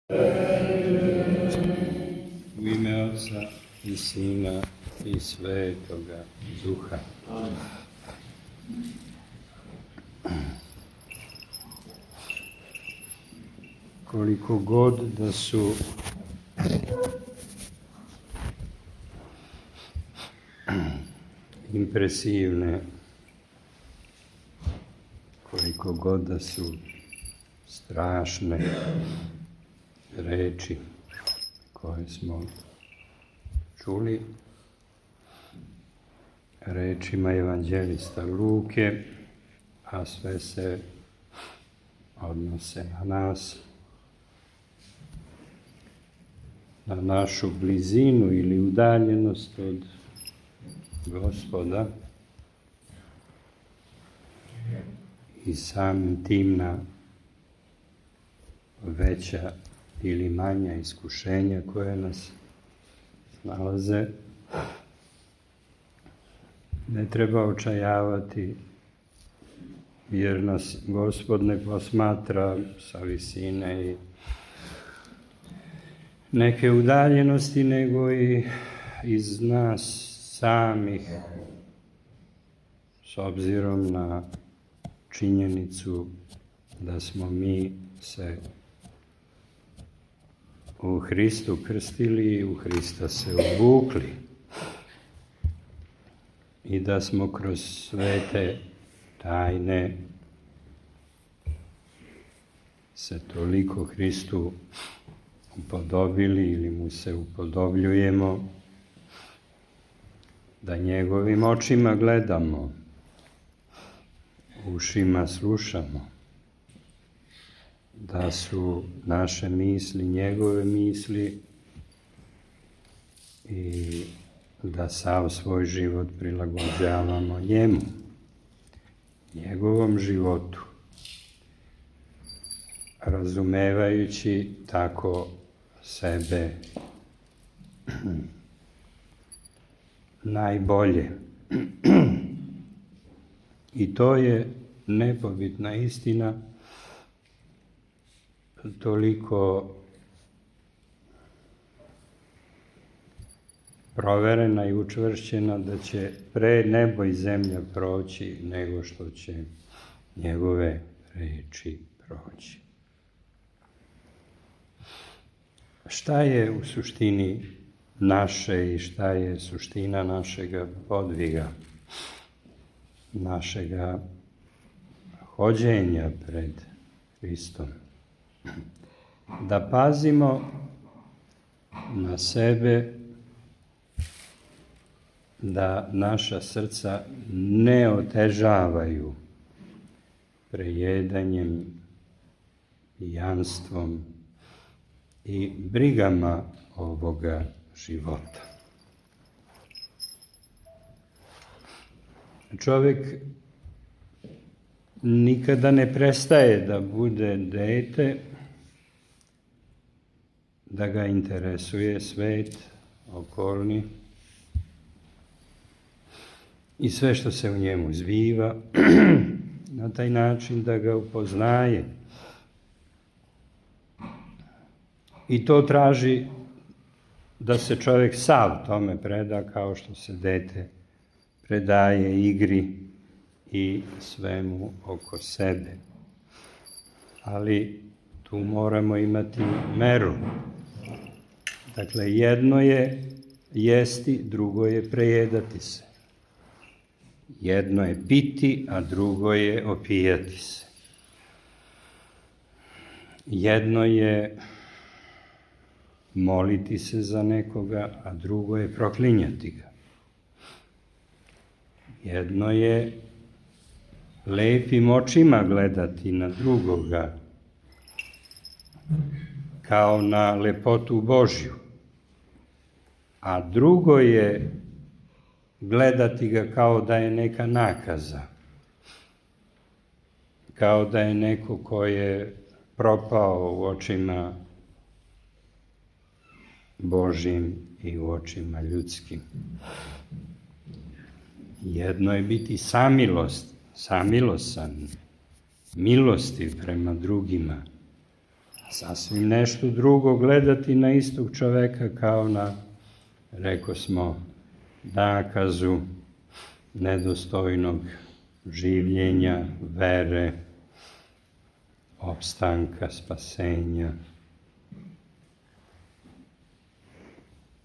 U ime Otca i Sina i Svetoga Duha. Koliko god da su impresivne, koliko god da su strašne reči koje smo čuli rečima evanđelista Luke, a sve se odnose na nas, na našu blizinu ili udaljenost od Gospoda i samim tim na veća ili manja iskušenja koje nas nalaze. Ne treba očajavati, jer nas Gospod ne posmatra sa visine i neke udaljenosti, nego i iz nas samih, s obzirom na činjenicu da smo mi se u Hristu krstili i u Hrista se obukli i da smo kroz svete tajne se toliko Hristu upodobili ili mu se upodobljujemo da njegovim očima gledamo, ušima slušamo, da su naše misli njegove misli i da sav svoj život prilagođavamo njemu, njegovom životu, razumevajući tako sebe najbolje. I to je nepobitna istina, toliko proverena i učvršćena da će pre nebo i zemlja proći nego što će njegove reči proći. Šta je u suštini naše i šta je suština našega podviga, našega hođenja pred Hristom? Da pazimo na sebe, da naša srca ne otežavaju prejedanjem, pijanstvom i brigama ovoga života. Čovjek nikada ne prestaje da bude dete, da ga interesuje svet okolni i sve što se u njemu zbiva, na taj način da ga upoznaje. I to traži da se čovjek sav tome preda, kao što se dete predaje igri i svemu oko sebe. Ali tu moramo imati meru. Dakle, jedno je jesti, drugo je prejedati se. Jedno je piti, a drugo je opijati se. Jedno je moliti se za nekoga, a drugo je proklinjati ga. Jedno je lepim očima gledati na drugoga, kao na lepotu Božju, a drugo je gledati ga kao da je neka nakaza, kao da je neko ko je propao u očima Božjim i u očima ljudskim. Jedno je biti samilosan, milostiv prema drugima, sasvim nešto drugo gledati na istog čoveka kao na, reko smo, nakazu nedostojnog življenja, vere, opstanka, spasenja.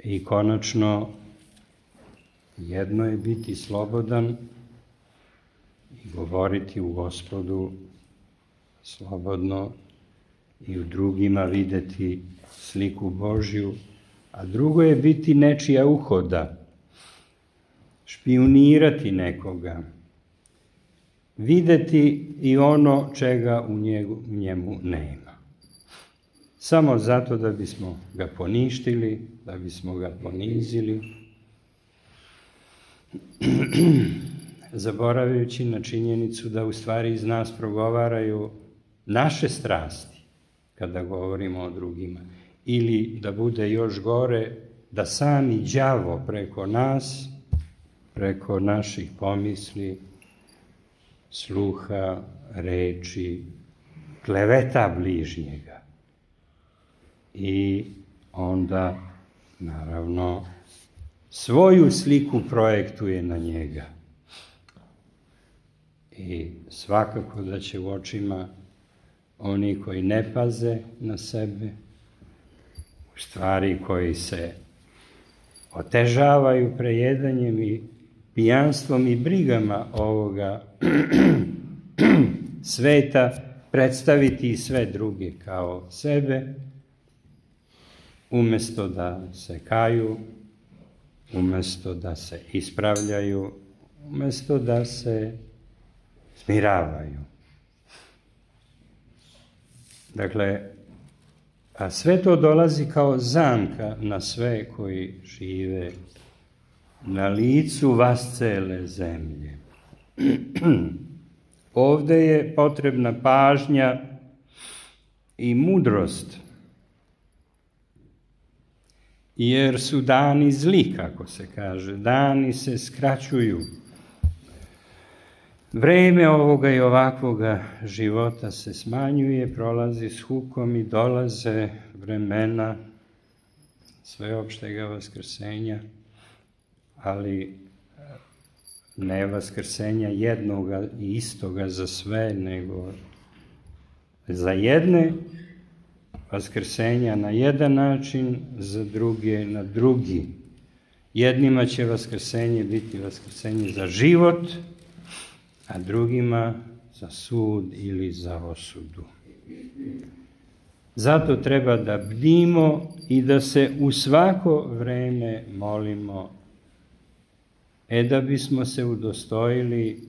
I konačno, jedno je biti slobodan i govoriti u Gospodu slobodno i u drugima videti sliku Božju, a drugo je biti nečija uhoda, špijunirati nekoga, videti i ono čega u njemu nema. Samo zato da bismo ga poništili, da bismo ga ponizili, zaboravljajući na činjenicu da u stvari iz nas progovaraju naše strasti kada govorimo o drugima. Ili da bude još gore, da sami đavo preko nas, preko naših pomisli, sluha, reči, kleveta bližnjega. I onda, naravno, svoju sliku projektuje na njega. I svakako da će u očima oni koji ne paze na sebe, u stvari koji se otežavaju prejedanjem i pijanstvom i brigama ovoga sveta, predstaviti i sve druge kao sebe, umesto da se kaju, umesto da se ispravljaju, umesto da se smiravaju. Dakle, a sve to dolazi kao zamka na sve koji žive na licu vascele zemlje. Ovde je potrebna pažnja i mudrost, jer su dani zli, kako se kaže, dani se skraćuju. Vreme ovoga i ovakvoga života se smanjuje, prolazi s hukom i dolaze vremena sveopštega vaskrsenja, ali ne vaskrsenja jednoga i istoga za sve, nego za jedne vaskrsenja na jedan način, za druge na drugi. Jednima će vaskrsenje biti vaskrsenje za život, a drugima za sud ili za osudu. Zato treba da bdimo i da se u svako vreme molimo, da bismo se udostojili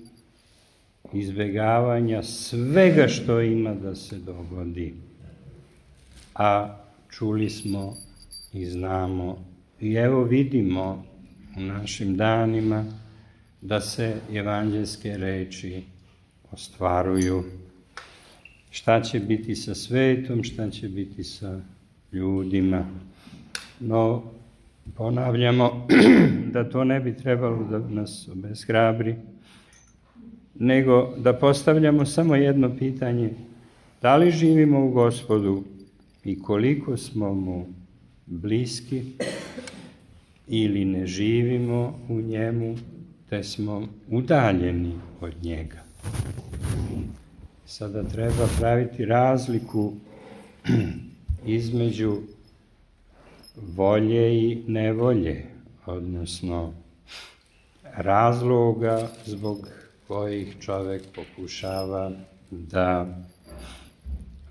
izbegavanja svega što ima da se dogodi. A čuli smo i znamo i evo vidimo u našim danima da se evanđelske reči ostvaruju. Šta će biti sa svetom, šta će biti sa ljudima. No, ponavljamo da to ne bi trebalo da nas obeshrabri, nego da postavljamo samo jedno pitanje: da li živimo u Gospodu i koliko smo mu bliski, ili ne živimo u njemu, te smo udaljeni od njega. Sada treba praviti razliku između volje i nevolje, odnosno razloga zbog kojih čovek pokušava da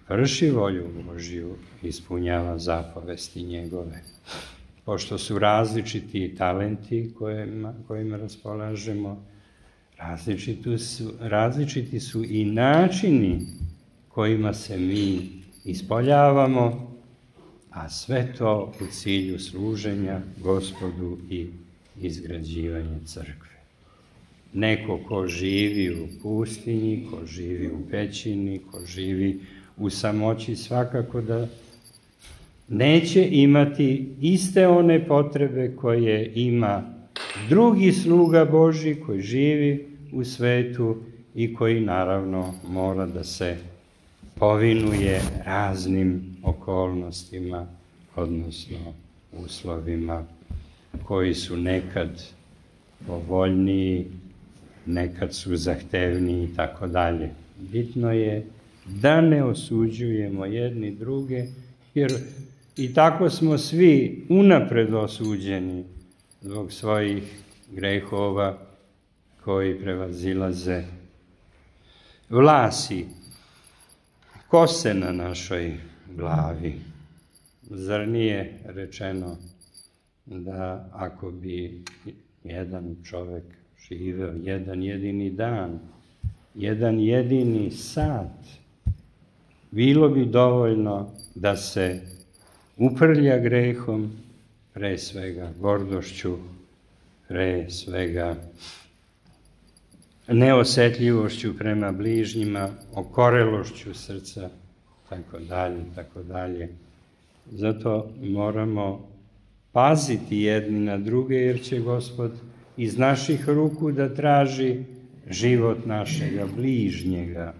vrši volju Božju, ispunjava zapovesti njegove. Pošto su različiti talenti kojima raspolažemo, različiti su i načini kojima se mi ispoljavamo, a sve to u cilju služenja Gospodu i izgrađivanja crkve. Neko ko živi u pustinji, ko živi u pećini, ko živi u samoći, svakako da neće imati iste one potrebe koje ima drugi sluga Božji koji živi u svetu i koji naravno mora da se povinuje raznim okolnostima, odnosno uslovima koji su nekad povoljniji, nekad su zahtevniji i tako dalje. Bitno je da ne osuđujemo jedni druge, jer i tako smo svi unapred osuđeni zbog svojih grehova koji prevazilaze vlasi, kose na našoj glavi. Zar nije rečeno da ako bi jedan čovjek živeo jedan jedini dan, jedan jedini sat, bilo bi dovoljno da se uprlja grehom, pre svega gordošću, pre svega neosjetljivošću prema bližnjima, okorelošću srca, tako dalje. Zato moramo paziti jedni na druge, jer će Gospod iz naših ruku da traži život našega bližnjega,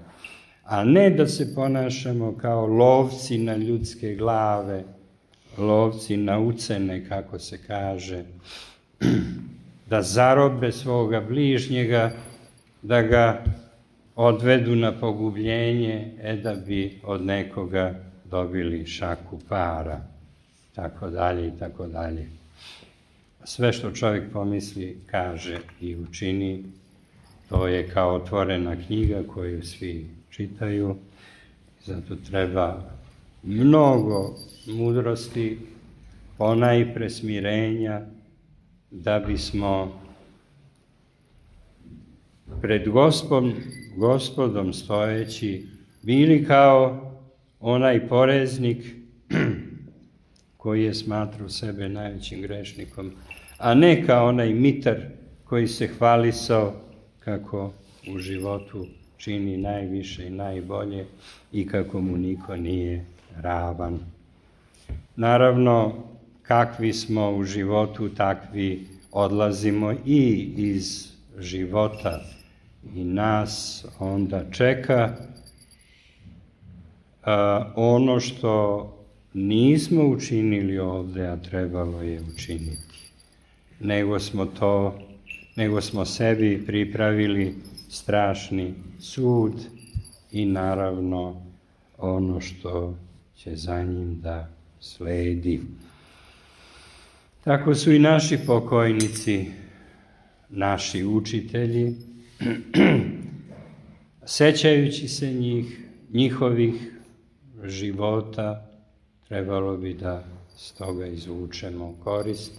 a ne da se ponašamo kao lovci na ljudske glave, lovci na ucene, kako se kaže, da zarobe svoga bližnjega, da ga odvedu na pogubljenje, da bi od nekoga dobili šaku para, tako dalje. Sve što čovjek pomisli, kaže i učini, to je kao otvorena knjiga koju svi čitaju. Zato treba mnogo mudrosti, ponajpre smirenja, da bismo pred Gospodom stojeći bili kao onaj poreznik koji je smatrao sebe najvećim grešnikom, a ne kao onaj mitar koji se hvalisao kako u životu čini najviše i najbolje i kako mu niko nije ravan. Naravno, kakvi smo u životu, takvi odlazimo i iz života i nas onda čeka ono što nismo učinili ovde, a trebalo je učiniti. Nego smo sebi pripravili strašni sud i naravno ono što će za njim da sledi. Tako su i naši pokojnici, naši učitelji, sećajući se njihovih života, trebalo bi da s toga izvučemo korist.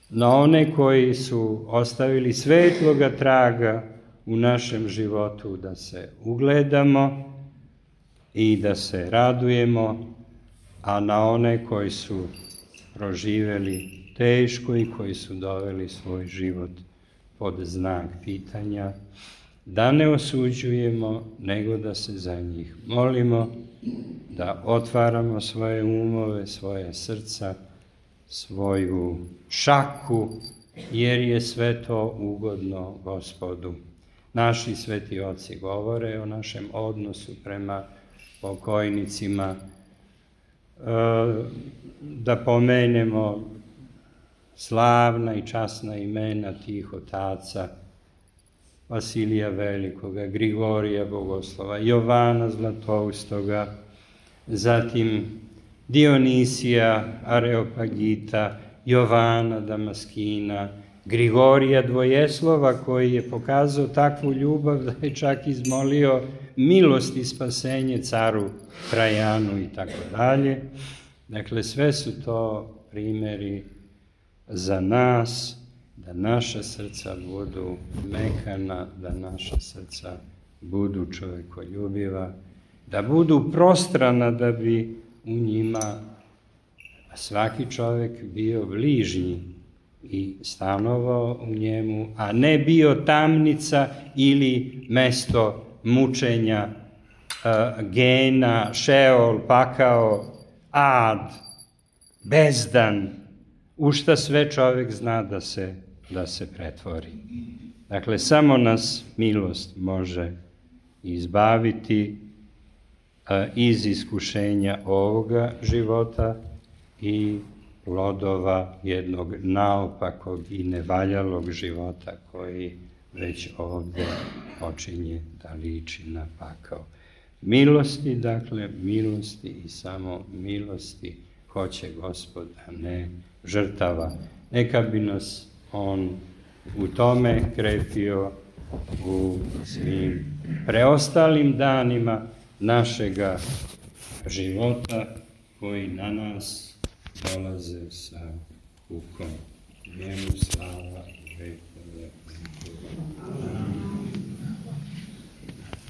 Na one koji su ostavili svetloga traga u našem životu, da se ugledamo i da se radujemo, a na one koji su proživeli teško i koji su doveli svoj život pod znak pitanja, da ne osuđujemo, nego da se za njih molimo, da otvaramo svoje umove, svoje srca, svoju šaku, jer je sve to ugodno Gospodu. Naši sveti oci govore o našem odnosu prema pokojnicima, da pomenemo slavna i časna imena tih otaca, Vasilija Velikoga, Grigorija Bogoslova, Jovana Zlatoustoga, zatim Dionisija Areopagita, Jovana Damaskina, Grigorija Dvojeslova, koji je pokazao takvu ljubav da je čak izmolio milost i spasenje caru Trajanu i tako dalje. Dakle, sve su to primjeri za nas, da naša srca budu mekana, da naša srca budu čovekoljubiva, da budu prostrana, da bi u njima svaki čovek bio bližnji i stanovao u njemu, a ne bio tamnica ili mesto mučenja, gena, šeol, pakao, ad, bezdan, u šta sve čovek zna da se pretvori. Dakle, samo nas milost može izbaviti iz iskušenja ovoga života i plodova jednog naopakog i nevaljalog života koji već ovdje počinje da liči na pakao. Milosti, dakle, milosti i samo milosti hoće Gospod, a ne žrtava. Neka bi nas on u tome krepio u svim preostalim danima našega života koji na nas dolaze sa kukom. Njemu slava, vekove.